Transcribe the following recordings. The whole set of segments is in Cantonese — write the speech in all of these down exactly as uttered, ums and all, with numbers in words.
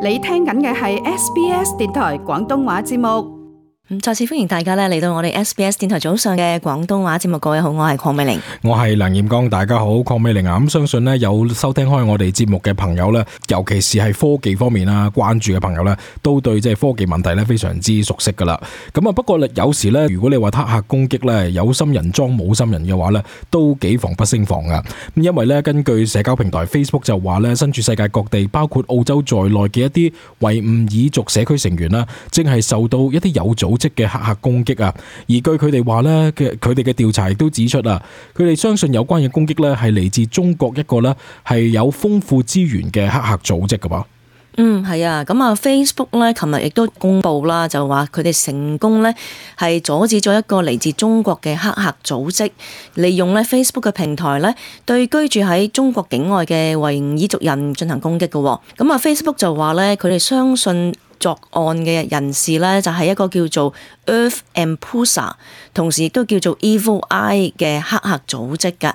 你聽緊嘅係 S B S 電台廣東話節目。咁再次歡迎大家咧嚟到我哋 S B S 電台早上嘅廣東話節目。各位好，我係鄺美玲，我係梁彥剛。大家好，鄺美玲啊，咁相信咧有收聽開我哋節目嘅朋友咧，尤其是係科技方面啦，關注嘅朋友咧，都對即係科技問題咧非常之熟悉噶啦。咁啊，不過咧有時咧，如果你話黑客攻擊咧，有心人裝冇心人嘅話咧，都幾防不勝防噶。咁因為咧，根據社交平台 Facebook 就話咧，身處世界各地，包括澳洲在內嘅一啲維吾爾族社區成員啦，正係受到一啲有組織嘅黑客攻擊啊。而據佢哋話咧嘅，佢哋嘅調查亦都指出啊，佢哋相信有關嘅攻擊咧係嚟自中國一個咧係有豐富資源嘅黑客組織噶噃。嗯，係啊，咁啊 Facebook 咧，琴日亦都公布啦，就話佢哋成功咧係阻止咗一個嚟自中國嘅黑客組織，利用咧 Facebook 嘅平台咧對居住喺中國境外嘅維吾爾族人進行攻擊嘅。咁啊 Facebook 就話咧，佢哋相信作案嘅人士咧就係一個叫做 Earth Ampusa， 同時亦都叫做 Evil Eye 嘅黑客組織㗎。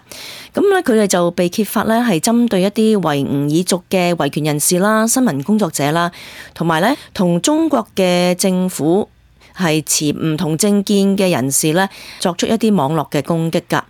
咁咧佢哋就被揭發咧係針對一啲維吾爾族嘅維權人士啦、新聞工作者啦，同埋咧同中國嘅政府係持唔同政見嘅人士咧作出一啲網絡嘅攻擊㗎。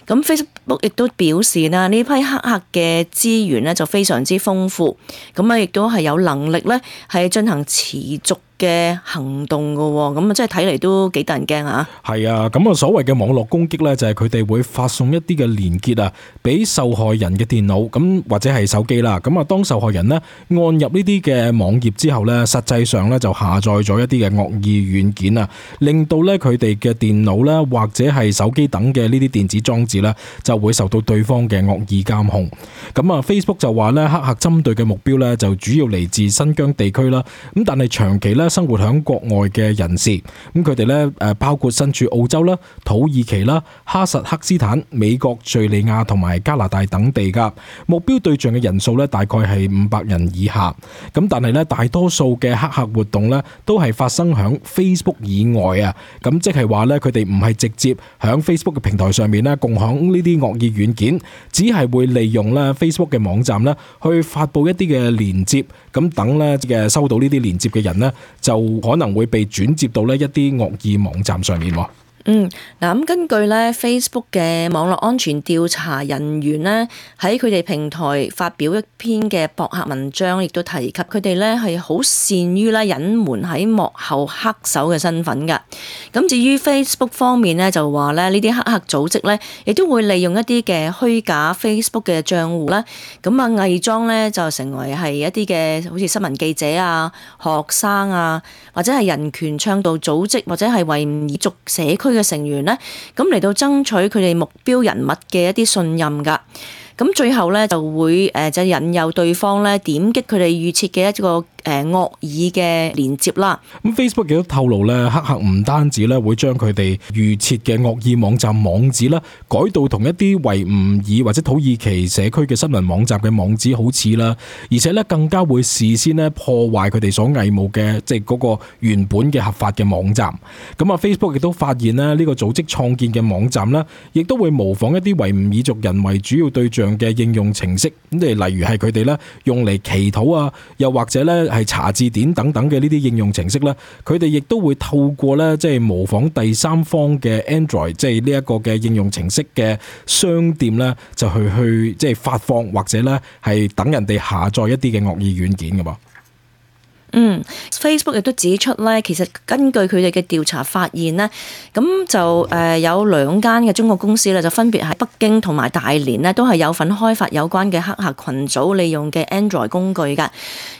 咁 Facebook 亦都表示啦，呢批黑客嘅資源咧就非常之豐富，咁啊亦都係有能力咧係進行持續嘅行動噶，咁啊，即係睇嚟都幾得人驚啊！係啊，咁啊，所謂嘅網絡攻擊咧，就係佢哋會發送一啲嘅連結啊，俾受害人嘅電腦，咁或者係手機啦。咁啊，當受害人呢按入呢啲嘅網頁之後咧，實際上咧就下載咗一啲嘅惡意軟件啊，令到咧佢哋嘅電腦啦或者係手機等嘅呢啲電子裝置咧，就會受到對方嘅惡意監控。咁啊 ，Facebook 就話咧，黑客針對嘅目標咧就主要嚟自新疆地區啦。咁但係長期咧生活喺國外嘅人士，咁佢哋咧誒包括身處澳洲啦、土耳其啦、哈薩克斯坦、美國、敘利亞同埋加拿大等地噶。目標對象嘅人數咧大概係五百人以下。咁但係咧大多數嘅黑客活動咧都係發生喺 Facebook 以外啊。咁即係話咧佢哋唔係直接喺 Facebook 嘅平台上面咧共享呢啲惡意軟件，只係會利用咧 Facebook 嘅網站咧去發布一啲嘅連接，咁等咧嘅收到呢啲連接嘅人咧就可能會被轉接到呢一啲惡意網站上面。嗯，嗱咁根據咧 Facebook 嘅網絡安全調查人員咧喺佢哋平台發表一篇嘅博客文章，亦都提及佢哋咧係好善於咧隱瞞喺幕後黑手嘅身份㗎。咁至於 Facebook 方面咧就話咧呢啲黑客組織咧亦都會利用一啲嘅虛假 Facebook 嘅賬戶啦，咁啊偽裝咧就成為係一啲嘅好似新聞記者啊、學生啊，或者係人權倡導組織或者係維吾爾族社區嘅成員咧，咁嚟到爭取佢哋目標人物嘅一啲信任噶，咁最後咧就會誒就引誘對方咧點擊佢哋預設嘅一個誒惡意嘅連結啦。咁 Facebook 亦都透露咧，黑客唔單止咧會將佢哋預設嘅惡意網站網址啦改到同一啲維吾爾或者土耳其社區嘅新聞網站嘅網址好似啦，而且咧更加會事先咧破壞佢哋所偽冒嘅即係嗰個原本嘅合法嘅網站。咁啊 Facebook 亦都發現咧呢個組織創建嘅網站啦，亦都會模仿一啲維吾爾族人為主要對象嘅應用程式，咁例如係佢哋咧用嚟祈禱啊，又或者咧係查字典等等嘅呢啲應用程式咧，佢哋亦都會透過咧即係模仿第三方嘅 Android， 即係呢一個嘅應用程式嘅商店咧，就去去即係發放或者咧係等人哋下載一啲嘅惡意軟件㗎噃。嗯 Facebook 亦都指出咧，其實根據佢哋嘅調查發現咧，咁就誒有兩間嘅中國公司咧，就分別喺北京同埋大連咧，都係有份開發有關嘅黑客群組利用嘅 Android 工具㗎。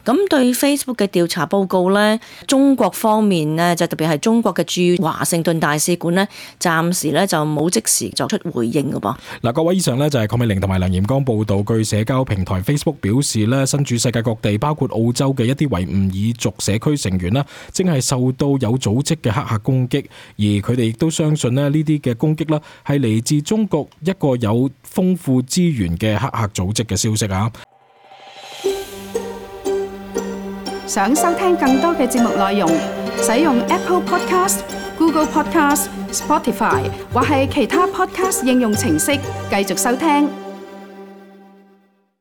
咁對 Facebook 嘅調查報告咧，中國方面咧，就特別係中國嘅駐華盛頓大使館咧，暫時咧就冇即時作出回應㗎噃。嗱，各位，以上咧就係鄺美玲同埋梁彥剛報道，據社交平台 Facebook 表示咧，身處世界各地，包括澳洲嘅一啲維吾爾族社區成員啦，正係受到有組織嘅黑客攻擊，而佢哋亦都相信咧呢啲嘅攻擊啦係嚟自中國一個有豐富資源嘅黑客組織嘅消息啊！想收聽更多嘅節目內容，使用 Apple Podcast、Google Podcast、Spotify 或係其他 Podcast 應用程式繼續收聽。